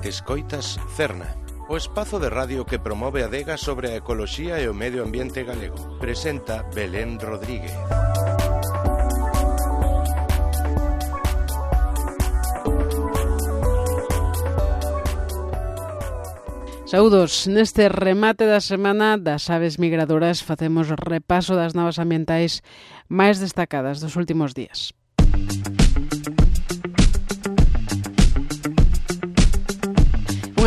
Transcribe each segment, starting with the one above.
Escoitas Cerna, o espazo de radio que promove a adega sobre a ecoloxía e o medio ambiente galego. Presenta Belén Rodríguez. Saúdos, neste remate da semana das aves migradoras facemos repaso das novas ambientais máis destacadas dos últimos días.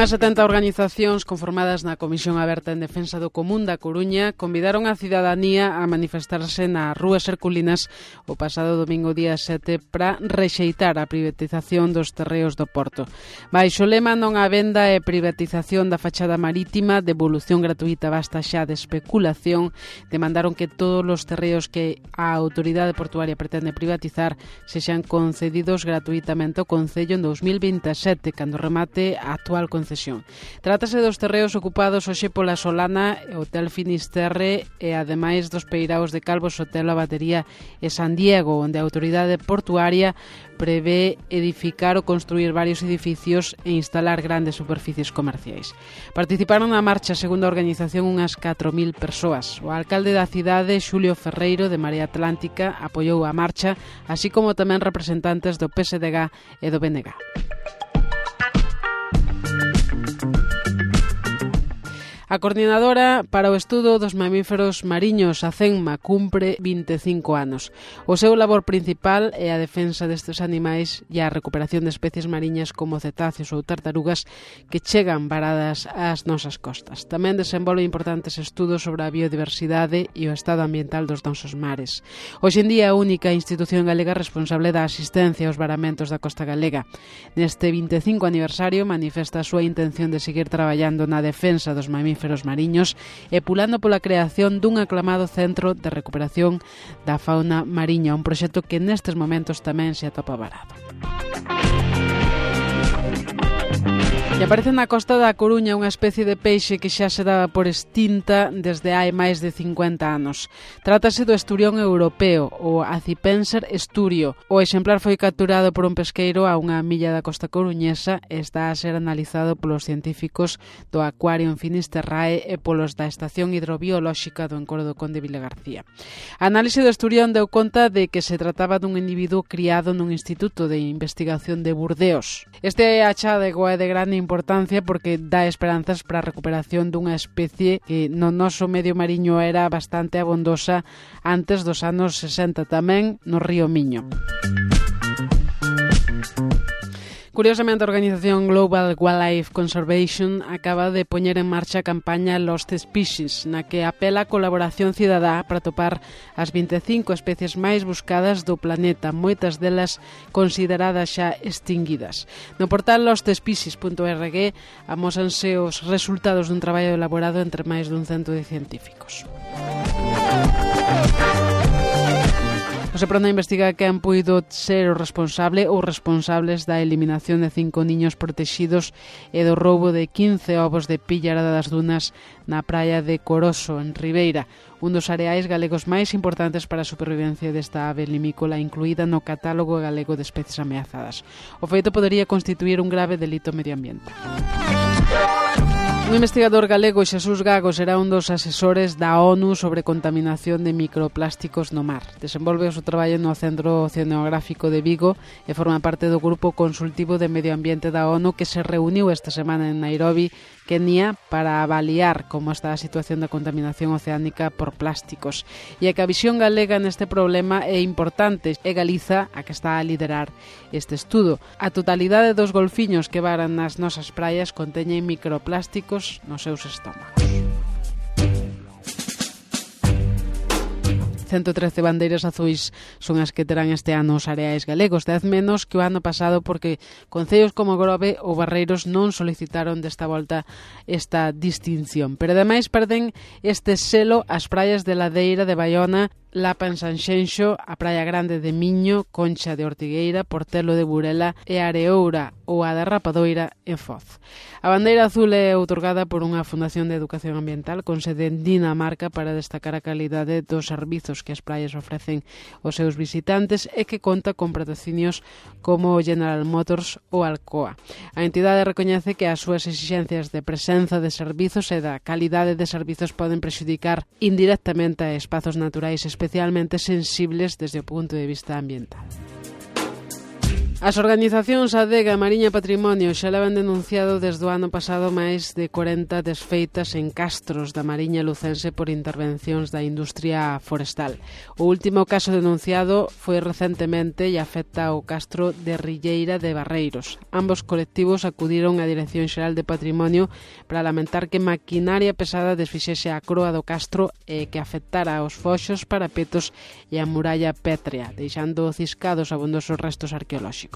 Unhas 70 organizacións conformadas na Comisión Aberta en Defensa do Común da Coruña convidaron a cidadanía a manifestarse nas rúas herculinas o pasado domingo día 7 para rexeitar a privatización dos terreos do Porto. Baixo o lema non a venda e privatización da fachada marítima, devolución gratuita basta xa de especulación, demandaron que todos os terreos que a autoridade portuaria pretende privatizar sexan concedidos gratuitamente ao Concello en 2027, cando remate a actual concesión. Trátase dos terreos ocupados hoxe pola Solana, Hotel Finisterre e ademais dos peiraos de Calvos, Hotel A Batería e San Diego, onde a autoridade portuaria prevé edificar ou construir varios edificios e instalar grandes superficies comerciais. Participaron na marcha, segundo a organización, unhas 4.000 persoas. O alcalde da cidade, Xulio Ferreiro, de Marea Atlántica, apoiou a marcha, así como tamén representantes do PSDG e do BNG. A coordinadora para o estudo dos mamíferos mariños, a CENMA, cumpre 25 anos. O seu labor principal é a defensa destes animais e a recuperación de especies mariñas como cetáceos ou tartarugas que chegan varadas ás nosas costas. Tamén desenvolve importantes estudos sobre a biodiversidade e o estado ambiental dos nosos mares. Hoxe en día é a única institución galega responsable da asistencia aos varamentos da costa galega. Neste 25 aniversario manifesta a súa intención de seguir traballando na defensa dos mamíferos mariños e pulando pola creación dun aclamado centro de recuperación da fauna mariña, un proxecto que nestes momentos tamén se atopa varado. E aparece na costa da Coruña unha especie de peixe que xa se daba por extinta desde hai máis de 50 anos. Trátase do esturión europeo, o Acipenser esturio. O exemplar foi capturado por un pesqueiro a unha milla da costa coruñesa e está a ser analizado polos científicos do Aquarium Finisterrae e polos da Estación Hidrobiolóxica do Encoro do Conde Vilagarcía. A análise do esturión deu conta de que se trataba dun individuo criado nun instituto de investigación de Burdeos. Este achadego é de grande importancia porque dá esperanzas para a recuperación dunha especie que no noso medio mariño era bastante abondosa antes dos anos 60, tamén no río Miño. Curiosamente, a organización Global Wildlife Conservation acaba de poñer en marcha a campaña Lost Species, na que apela a colaboración cidadá para topar as 25 especies máis buscadas do planeta, moitas delas consideradas xa extinguidas. No portal lostspecies.org amósanse os resultados dun traballo elaborado entre máis dun cento de científicos. O Seprona investiga quen puido ser o responsable ou responsables da eliminación de 5 niños protexidos e do roubo de 15 ovos de pillarada das dunas na praia de Coroso, en Ribeira, un dos areais galegos máis importantes para a supervivencia desta ave limícola incluída no catálogo galego de especies ameazadas. O feito podería constituir un grave delito medioambiental. Un investigador galego, Xesús Gago, será un dos asesores da ONU sobre contaminación de microplásticos no mar. Desenvolve o seu traballo no Centro Oceanográfico de Vigo e forma parte do Grupo Consultivo de Medio Ambiente da ONU que se reuniu esta semana en Nairobi, Kenia, para avaliar como está a situación da contaminación oceánica por plásticos. E a que a visión galega neste problema é importante. É Galiza a que está a liderar este estudo. A totalidade dos golfiños que varan nas nosas praias conteñen microplásticos nos seus estómagos. 113 bandeiras azuis son as que terán este ano os areais galegos, 10 menos que o ano pasado porque concellos como Grove ou Barreiros non solicitaron desta volta esta distinción. Pero ademais perden este selo as praias de Ladeira de Baiona Lapa en Sanxenxo, a Praia Grande de Miño, Concha de Ortigueira, Portelo de Burela e Areoura ou a da Rapadoira en Foz. A bandeira azul é outorgada por unha Fundación de Educación Ambiental con sede en Dinamarca para destacar a calidade dos servizos que as praias ofrecen aos seus visitantes e que conta con patrocinios como General Motors ou Alcoa. A entidade recoñece que as súas exixencias de presenza de servizos e da calidade de servizos poden prexudicar indirectamente a espazos naturais especialmente sensibles desde o punto de vista ambiental. As organizacións Adega e Mariña Patrimonio xa levan denunciado desde o ano pasado máis de 40 desfeitas en castros da Mariña lucense por intervencións da industria forestal. O último caso denunciado foi recentemente e afecta ao castro de Rilleira de Barreiros. Ambos colectivos acudiron á Dirección Xeral de Patrimonio para lamentar que maquinaria pesada desfixese a croa do castro e que afectara aos foxos, parapetos e a muralla pétrea, deixando ciscados abondosos restos arqueolóxicos.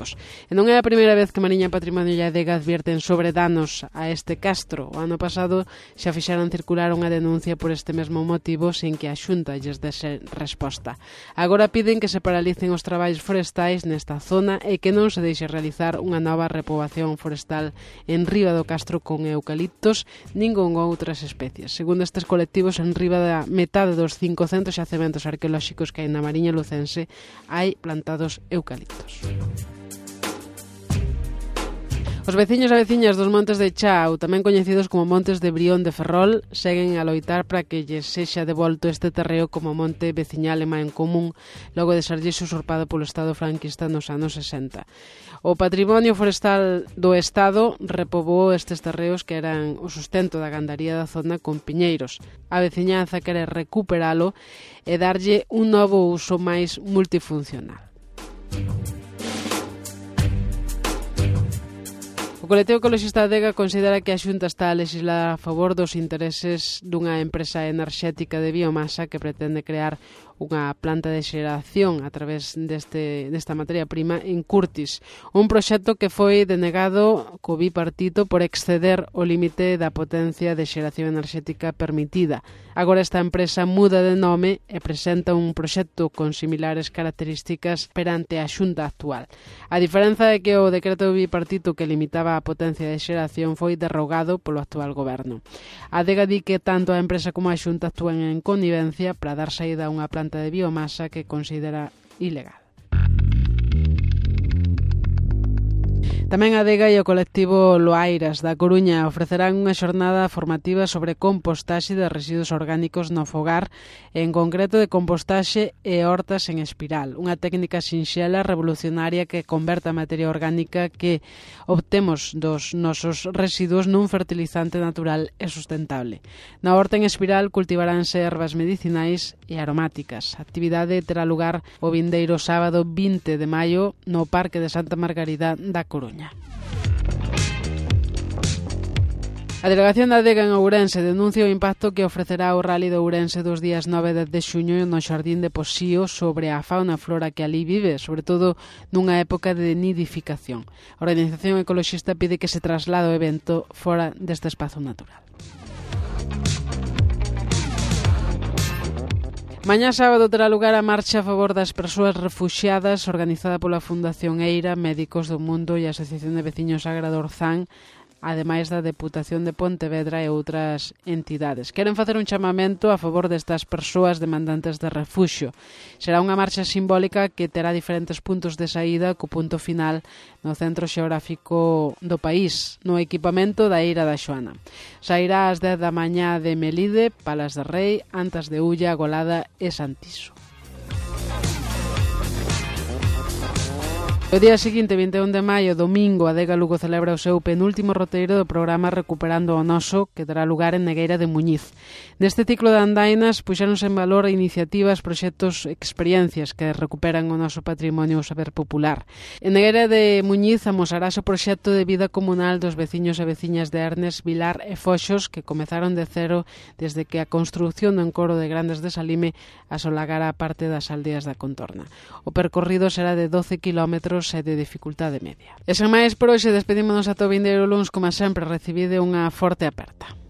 E non é a primeira vez que Mariña Patrimonio e Adega advierten sobre danos a este castro. O ano pasado xa fixeron circular unha denuncia por este mesmo motivo sin que a Xunta lles dese resposta. Agora piden que se paralicen os traballos forestais nesta zona e que non se deixe realizar unha nova repoboación forestal en riba do castro con eucaliptos nin con outras especies. Segundo estes colectivos, en riba da metade dos 500 xacementos arqueolóxicos que hai na Mariña lucense hai plantados eucaliptos. Os veciños e veciñas dos Montes de Chao, tamén coñecidos como Montes de Brión de Ferrol, seguen a loitar para que lles sexa devolto este terreo como monte veciñal e en común logo de serlles usurpado polo Estado franquista nos anos 60. O Patrimonio Forestal do Estado repoboou estes terreos que eran o sustento da gandaría da zona con piñeiros. A veciñanza quere recuperalo e darlle un novo uso máis multifuncional. O colectivo ecoloxista Adega considera que a Xunta está a legislar a favor dos intereses dunha empresa enerxética de biomasa que pretende crear unha planta de xeración a través desta materia prima en Curtis, un proxecto que foi denegado co bipartito por exceder o límite da potencia de xeración enerxética permitida. Agora esta empresa muda de nome e presenta un proxecto con similares características perante a Xunta actual. A diferenza é que o decreto bipartito que limitaba a potencia de xeración foi derrogado polo actual goberno. A Adega di que tanto a empresa como a Xunta actúan en connivencia para dar saída a unha planta de biomasa que considera ilegal. Tamén a Adega e o colectivo Loairas da Coruña ofrecerán unha xornada formativa sobre compostaxe de residuos orgánicos no fogar, en concreto de compostaxe e hortas en espiral, unha técnica sinxela revolucionaria que converta a materia orgánica que obtemos dos nosos residuos nun fertilizante natural e sustentable. Na horta en espiral cultivaránse ervas medicinais e aromáticas. A actividade terá lugar o vindeiro sábado 20 de maio no Parque de Santa Margarida da Coruña. A Delegación da Adega en Ourense denuncia o impacto que ofrecerá o Rally de Ourense dos días 9 e 10 de xuño no Xardín de Posío sobre a fauna e flora que ali vive, sobre todo nunha época de nidificación. A organización ecoloxista pide que se traslade o evento fora deste espazo natural. Mañá sábado terá lugar a marcha a favor das persoas refuxiadas organizada pola Fundación Eira, Médicos do Mundo e a Asociación de Veciños Agra do Orzán, ademais da Deputación de Pontevedra e outras entidades. Queren facer un chamamento a favor destas persoas demandantes de refuxio. Será unha marcha simbólica que terá diferentes puntos de saída co punto final no centro xeográfico do país, no equipamento da Eira da Xoana. Sairá ás 10 da mañá de Melide, Palas de Rei, Antas de Ulla, Golada e Santiso. O día seguinte, 21 de maio, domingo, a Adega Lugo celebra o seu penúltimo roteiro do programa Recuperando o Noso, que terá lugar en Negueira de Muñiz. Neste ciclo de andainas, puxéronse en valor iniciativas, proxectos, experiencias que recuperan o noso patrimonio e o saber popular. En Negueira de Muñiz amosarase o proxecto de vida comunal dos veciños e veciñas de Ernes, Vilar e Foxos, que comezaron de cero desde que a construción do encoro de Grandes de Salime asolagara a parte das aldeas da contorna. O percorrido será de 12 kilómetros e de dificultade media. E sen máis por hoxe, despedímonos ata o vindeiro luns, como sempre, recibide unha forte aperta.